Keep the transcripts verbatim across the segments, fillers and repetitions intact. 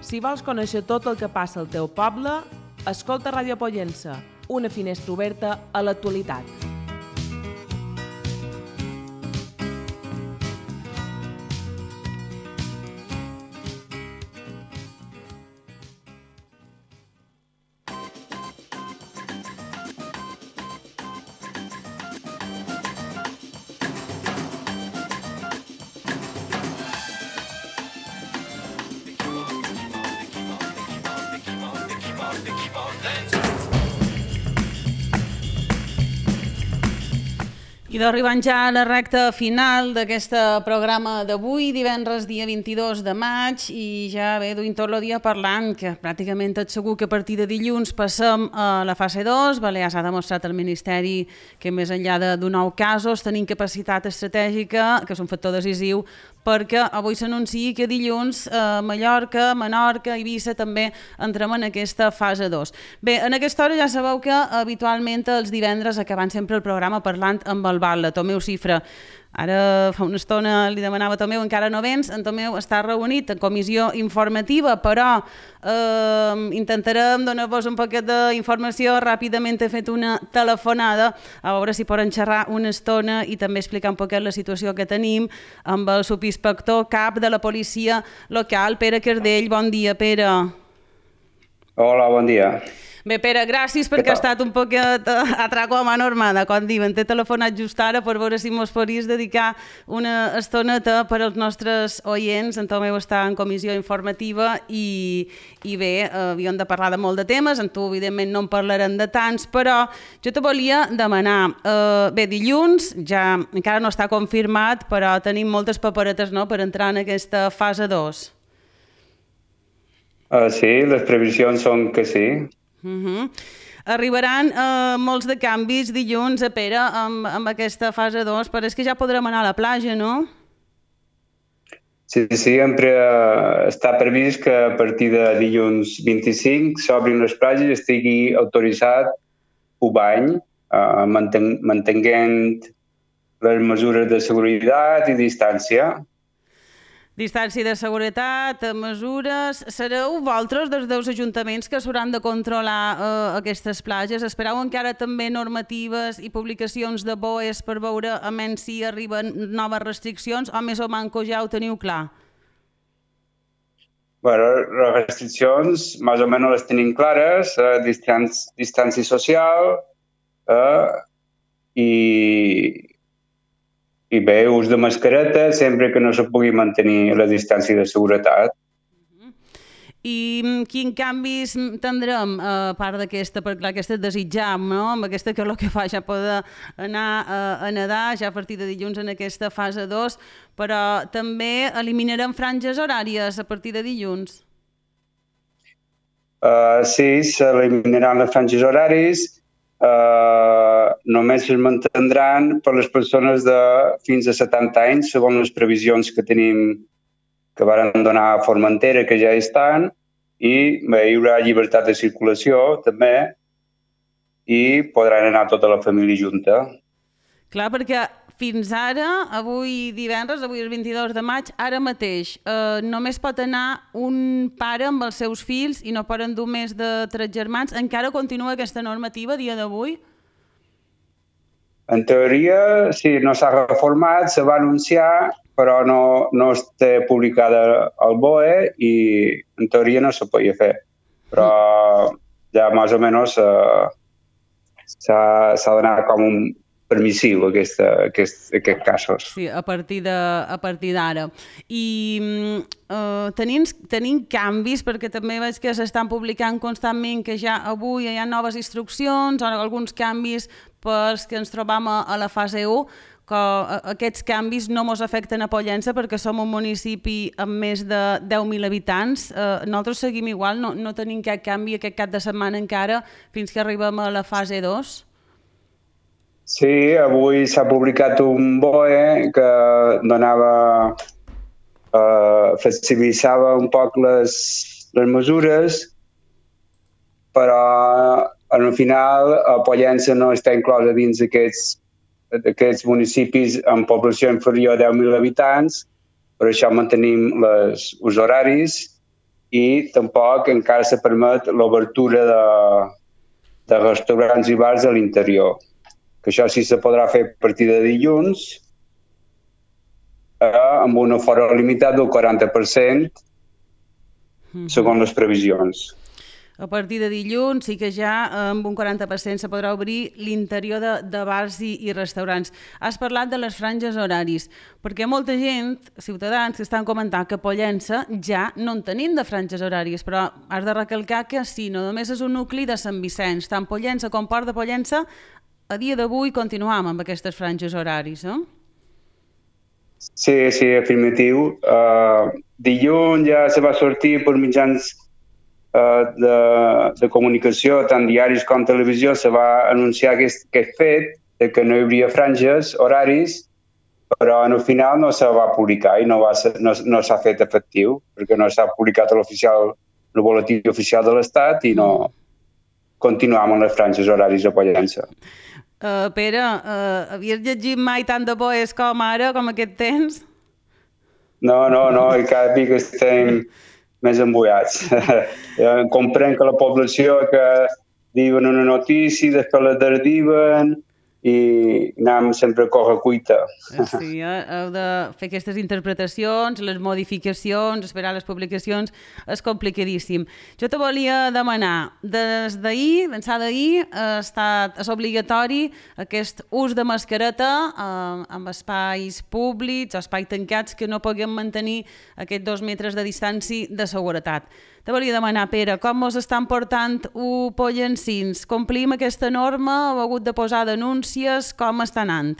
Si vols conèixer tot el que passa al teu poble, escolta Ràdio Pollença, una finestra oberta a l'actualitat. I d'arribant ja a la recta final d'aquest programa d'avui, divendres dia vint-i-dos de maig, i ja bé, duim tot el dia parlant, que pràcticament tot segur que a partir de dilluns passem a la fase dos. Balears ha demostrat al Ministeri que més enllà de nou casos tenim capacitat estratègica, que és un factor decisiu, perquè avui s'anuncia que dilluns a Mallorca, Menorca, Eivissa també entrem en aquesta fase dos. Bé, en aquesta hora ja sabeu que habitualment els divendres acabant sempre el programa parlant amb el Batlle, Tomeu Cifra. Ara fa una estona li demanava a Tomeu, encara no vens, en Tomeu està reunit en comissió informativa, però eh, intentarem donar-vos un poquet d'informació. Ràpidament he fet una telefonada a veure si poden xerrar una estona i també explicar un poquet la situació que tenim amb el subinspector cap de la policia local, Pere Cardell. Bon dia, Pere. Hola, bon dia. Bé, Pere, gràcies perquè ha estat un poquet a trago a mà normada, com diuen. T'he telefonat just ara per veure si mos podries dedicar una estoneta per als nostres oients. En Tomeu està en comissió informativa i, i bé, havíem de parlar de molt de temes, en tu evidentment no en parlarem de tants, però jo te volia demanar, eh, bé, dilluns, ja encara no està confirmat, però tenim moltes paperetes, no?, per entrar en aquesta fase dos. Uh, sí, les previsions són que sí. Uh-huh. Arribaran uh, molts de canvis dilluns, a Pere, amb, amb aquesta fase dos, però és que ja podrem anar a la platja, no? Sí, sí, sempre uh, està previst que a partir de dilluns vint-i-cinc s'obrin les platges i estigui autoritzat un bany, uh, manten mantenint les mesures de seguretat i distància. Distància de seguretat, mesures... Sereu vosaltres dels dos ajuntaments que s'hauran de controlar eh, aquestes platges? Espereu encara també normatives i publicacions de B O Es per veure a menys si arriben noves restriccions o més o manco ja ho teniu clar? Bueno, les restriccions més o menys les tenim clares, eh, distància, distància social eh, i... I bé, ús de mascareta sempre que no se pugui mantenir la distància de seguretat. Uh-huh. I quins canvis tindrem a part d'aquesta, perquè clar, aquesta desitjam, no? Amb aquesta que és el que fa ja poder anar a, a nedar ja a partir de dilluns en aquesta fase dos, però també eliminarem franges horàries a partir de dilluns. Uh, sí, s'eliminaran les franges horaris. Uh, només es mantindran per les persones de fins a setanta anys, segons les previsions que tenim, que varen donar a Formentera, que ja estan, i bé, hi haurà llibertat de circulació també i podran anar tota la família junta. Clar, perquè fins ara, avui divendres, avui el vint-i-dos de maig, ara mateix, eh, només pot anar un pare amb els seus fills i no poden dur més de tres germans. Encara continua aquesta normativa a dia d'avui? En teoria, sí, no s'ha reformat, se va anunciar, però no, no està publicada al B O E i en teoria no se podia fer. Però ja més o menys eh, s'ha d'anar com un permissiu aquesta, aquest, aquest casos. Sí, a partir de, a partir d'ara. I uh, tenim, tenim canvis, perquè també veig que s'estan publicant constantment que ja avui hi ha noves instruccions o alguns canvis pels que ens trobam a, a la fase u, que aquests canvis no ens afecten a Pollença perquè som un municipi amb més de deu mil habitants. Uh, nosaltres seguim igual, no, no tenim cap canvi aquest cap de setmana encara fins que arribem a la fase dos. Sí, avui s'ha publicat un B O E que donava, eh, flexibilitzava un poc les, les mesures, però al final a Pollença no està inclosa dins d'aquests d'aquests municipis amb població inferior a deu mil habitants, per això mantenim les, els horaris i tampoc encara se permet l'obertura de, de restaurants i bars a l'interior. Que això sí se podrà fer a partir de dilluns eh, amb un aforo limitat del quaranta per cent segons les previsions. A partir de dilluns sí que ja amb un quaranta per cent se podrà obrir l'interior de, de bars i, i restaurants. Has parlat de les franges horaris, perquè molta gent, ciutadans, que estan comentant que a Pollença ja no en tenim de franges horàries, però has de recalcar que sí, no només és un nucli de Sant Vicenç, tant Pollença com Port de Pollença, a dia d'avui continuam amb aquestes franges horaris, eh? Sí, sí, afirmatiu. Uh, dilluns ja se va sortir per mitjans De, de comunicació, tant diaris com televisió, se va anunciar aquest, aquest fet de que no hi hauria franges horaris, però al final no se va publicar i no, va ser, no, no s'ha fet efectiu, perquè no s'ha publicat a l'oficial, el boletí oficial de l'Estat i no continuam amb les franges horaris a Pollença. Uh, Pere, uh, havies llegit mai tant de poes com ara, com aquest temps? No, no, no, i cada dia que estem més embullats. Comprenc que la població que diuen una notícia, després la derdiven i anem sempre a correcuita. Sí, eh? Heu de fer aquestes interpretacions, les modificacions, esperar les publicacions, és complicadíssim. Jo te volia demanar, des d'ahir, d'ençà d'ahir, ha estat, és obligatori aquest ús de mascareta eh, en espais públics o espais tancats que no puguem mantenir aquests dos metres de distància de seguretat. Te volia demanar, Pere, com us estan portant ho pollencins? Complim aquesta norma? Heu hagut de posar denúncies? Com està anant?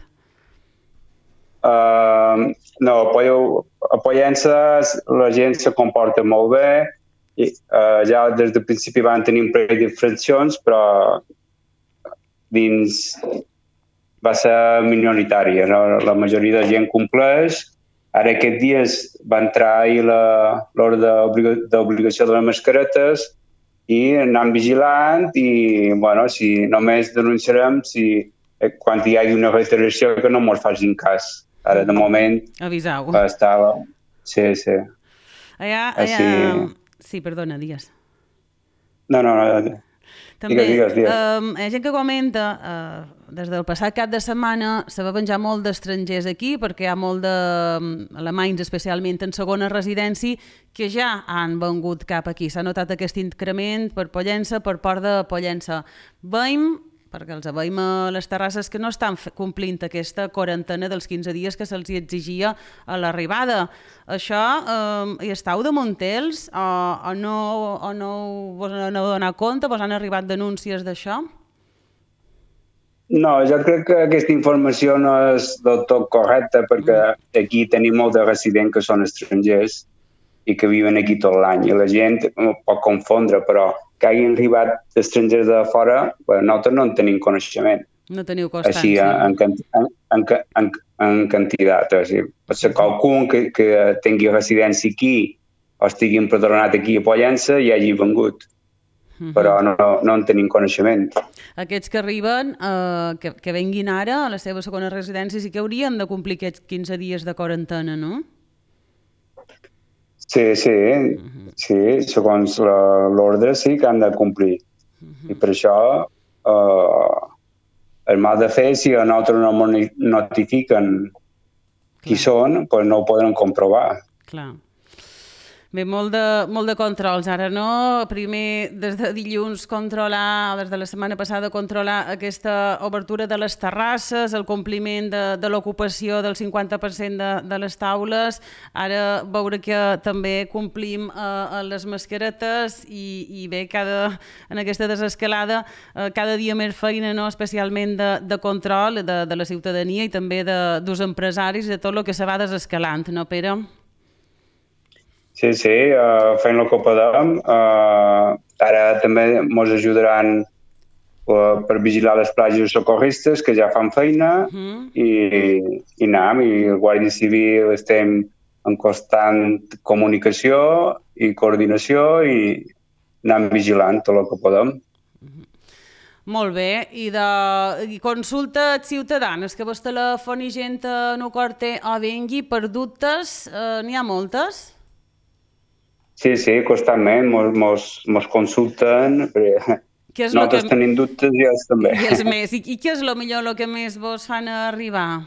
Uh, no, a Pollença la gent se comporta molt bé. I, uh, ja des del principi van tenir un parell d'infraccions, però dins va ser minoritària. No? La majoria de gent compleix. Ara aquests dies va entrar l'ordre d'obligació de les mascaretes i anem vigilant i, bueno, si només denunciarem si quan hi hagi una reiteració que no ens facin cas. Ara, de moment... Avisau. Estava... Sí, sí. Allà, allà... Així... Sí, perdona, digues. No, no, no. També, digues, digues, digues. Um, hi ha gent que comenta, uh, des del passat cap de setmana se va venjar molt d'estrangers aquí perquè hi ha molt d'alemanys, especialment en segona residència, que ja han vengut cap aquí. S'ha notat aquest increment per Pollença, per Port de Pollença. Veiem, perquè els veiem a les terrasses, que no estan complint aquesta quarantena dels quinze dies que se'ls exigia a l'arribada. Això, eh, hi estàu de Montels o, o no, o no vos n'heu donat compte? Vos han arribat denúncies d'això? No, jo crec que aquesta informació no és del tot correcta perquè aquí tenim molts de residents que són estrangers i que viuen aquí tot l'any i la gent pot confondre, però que hagin arribat estrangers de fora, bueno, nosaltres no en tenim coneixement. No teniu constància. Així, en, en, en, en, en quantitat. O sigui, pot ser qualcun que, que tingui residència aquí o estigui empadronat aquí a Pollença i hagi vengut. Uh-huh. Però no, no en tenim coneixement. Aquests que arriben, eh, que, que venguin ara a la seva segona residència, sí que haurien de complir aquests quinze dies de quarantena, no? Sí, sí, uh-huh. sí, segons l'ordre sí que han de complir. Uh-huh. I per això eh, el mal de fer, si a nosaltres no notifiquen Clar. Qui són, doncs no ho podran comprovar. Clar. Bé, molt de, molt de controls. Ara no, primer des de dilluns controlar, des de la setmana passada controlar aquesta obertura de les terrasses, el compliment de, de l'ocupació del cinquanta per cent de, de les taules, ara veure que també complim eh, les mascaretes i, i bé, cada, en aquesta desescalada eh, cada dia més feina, no? Especialment de, de control de, de la ciutadania i també de, dels empresaris, de tot el que se va desescalant, no, Pere? Sí, sí, uh, fent el que podem. Uh, ara també ens ajudaran uh, per vigilar les platges socorristes, que ja fan feina, uh-huh. i, i anem, i el Guàrdia Civil estem en constant comunicació i coordinació i anem vigilant tot el que podem. Uh-huh. Molt bé, i de i consultes ciutadanes, que vos telefoni gent no corte o vengui per dubtes, eh, n'hi ha moltes? Sí, sí, constantment mos, mos, mos consulten, perquè nosaltres que... tenim dubtes i ells també. I els més. I, I què és el millor, el que més vos fan arribar?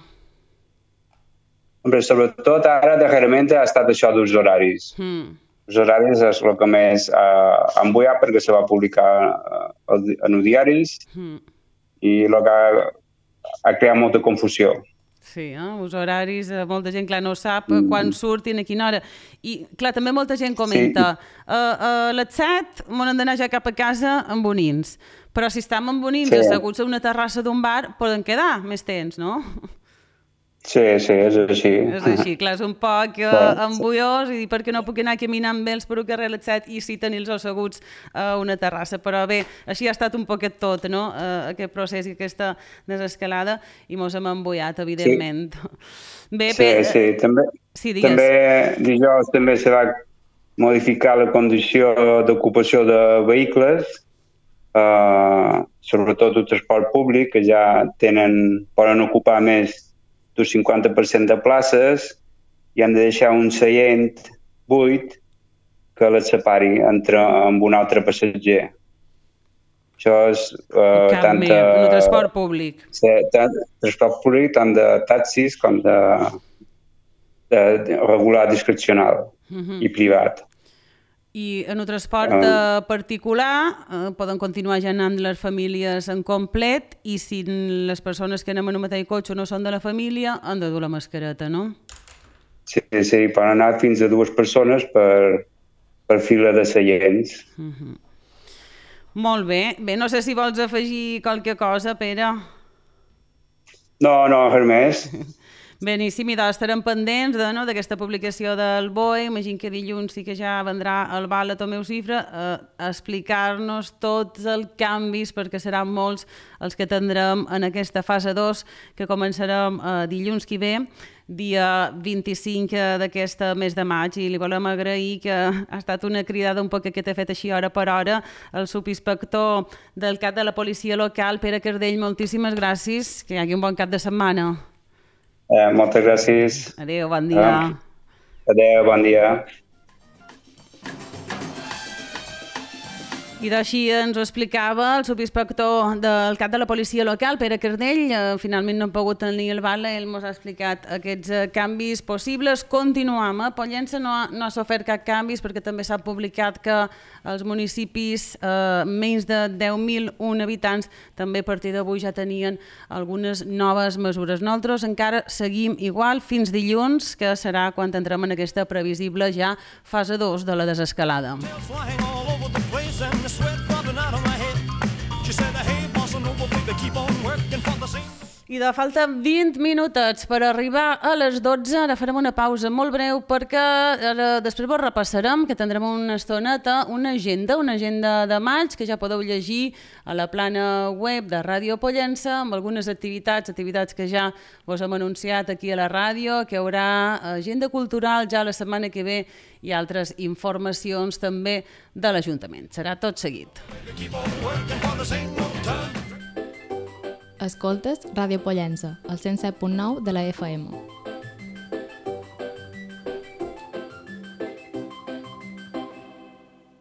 Hombre, sobretot ara darrerament ha estat això dels horaris. Mm. Els horaris és el que més ha embullat perquè se va publicar en els diaris mm. i el que ha, ha creat molta confusió. Sí, eh? Els horaris, molta gent, clar, no sap mm. quan surtin, a quina hora. I, clar, també molta gent comenta sí. uh, a les set m'han d'anar ja cap a casa amb bonins. Però si estem amb bonins sí. asseguts a una terrassa d'un bar, poden quedar més temps, no? Sí, sí, és així. És així, clar, és un poc uh, embullós i perquè no puc anar caminant amb ells per un carrer a les set i sí tenir-los asseguts a una terrassa. Però bé, així ha estat un poquet tot, no?, uh, aquest procés i aquesta desescalada i mos hem embullat, evidentment. Sí, bé, sí, bé, sí. També, sí, també dijous també se va modificar la condició d'ocupació de vehicles, uh, sobretot el transport públic, que ja tenen, poden ocupar més d'un cinquanta per cent de places i han de deixar un seient buit que les separi entre amb un altre passatger. Això és uh, tant de... En el transport públic. Sí, tant de transport públic, tant de taxis com de, de, de regular discrecional uh-huh. i privat. I en el transport uh, particular eh, poden continuar ja anant les famílies en complet i si les persones que anem en un mateix cotxe no són de la família han de dur la mascareta, no? Sí, sí, poden anar fins a dues persones per, per fila de seients. Uh-huh. Molt bé. Bé, no sé si vols afegir qualque cosa, Pere. No, no, res més. Beníssim, i doncs estarem pendents de, no, d'aquesta publicació del B O E. Imagino que dilluns sí que ja vendrà el Val a Tomeu Cifra eh, a explicar-nos tots els canvis, perquè seran molts els que tindrem en aquesta fase dos, que començarem eh, dilluns que ve, dia vint-i-cinc d'aquest mes de maig, i li volem agrair que ha estat una cridada un poc que t'he fet així hora per hora, el subinspector del cap de la policia local, Pere Cardell, moltíssimes gràcies, que hi hagi un bon cap de setmana. Eh, moltes gràcies. Adéu, bon dia. Adéu, bon dia. I d'així ens ho explicava el subinspector del cap de la policia local, Pere Cardell. Eh, finalment no ha pogut tenir el Val, ell ens ha explicat aquests eh, canvis possibles. Continuam, eh? Pollença no ha, no ha sofert cap canvis perquè també s'ha publicat que els municipis eh, menys de deu mil un habitants també a partir d'avui ja tenien algunes noves mesures. Nosaltres encara seguim igual fins dilluns, que serà quan entrem en aquesta previsible ja fase dos de la desescalada. I de falta vint minutets per arribar a les dotze. Ara farem una pausa molt breu perquè ara, després vos repassarem, que tindrem una estoneta, una agenda, una agenda de maig que ja podeu llegir a la plana web de Ràdio Pollença amb algunes activitats, activitats que ja vos hem anunciat aquí a la ràdio, que hi haurà agenda cultural ja la setmana que ve i altres informacions també de l'Ajuntament. Serà tot seguit. Escoltes Ràdio Pollença, al cent set punt nou de la F M.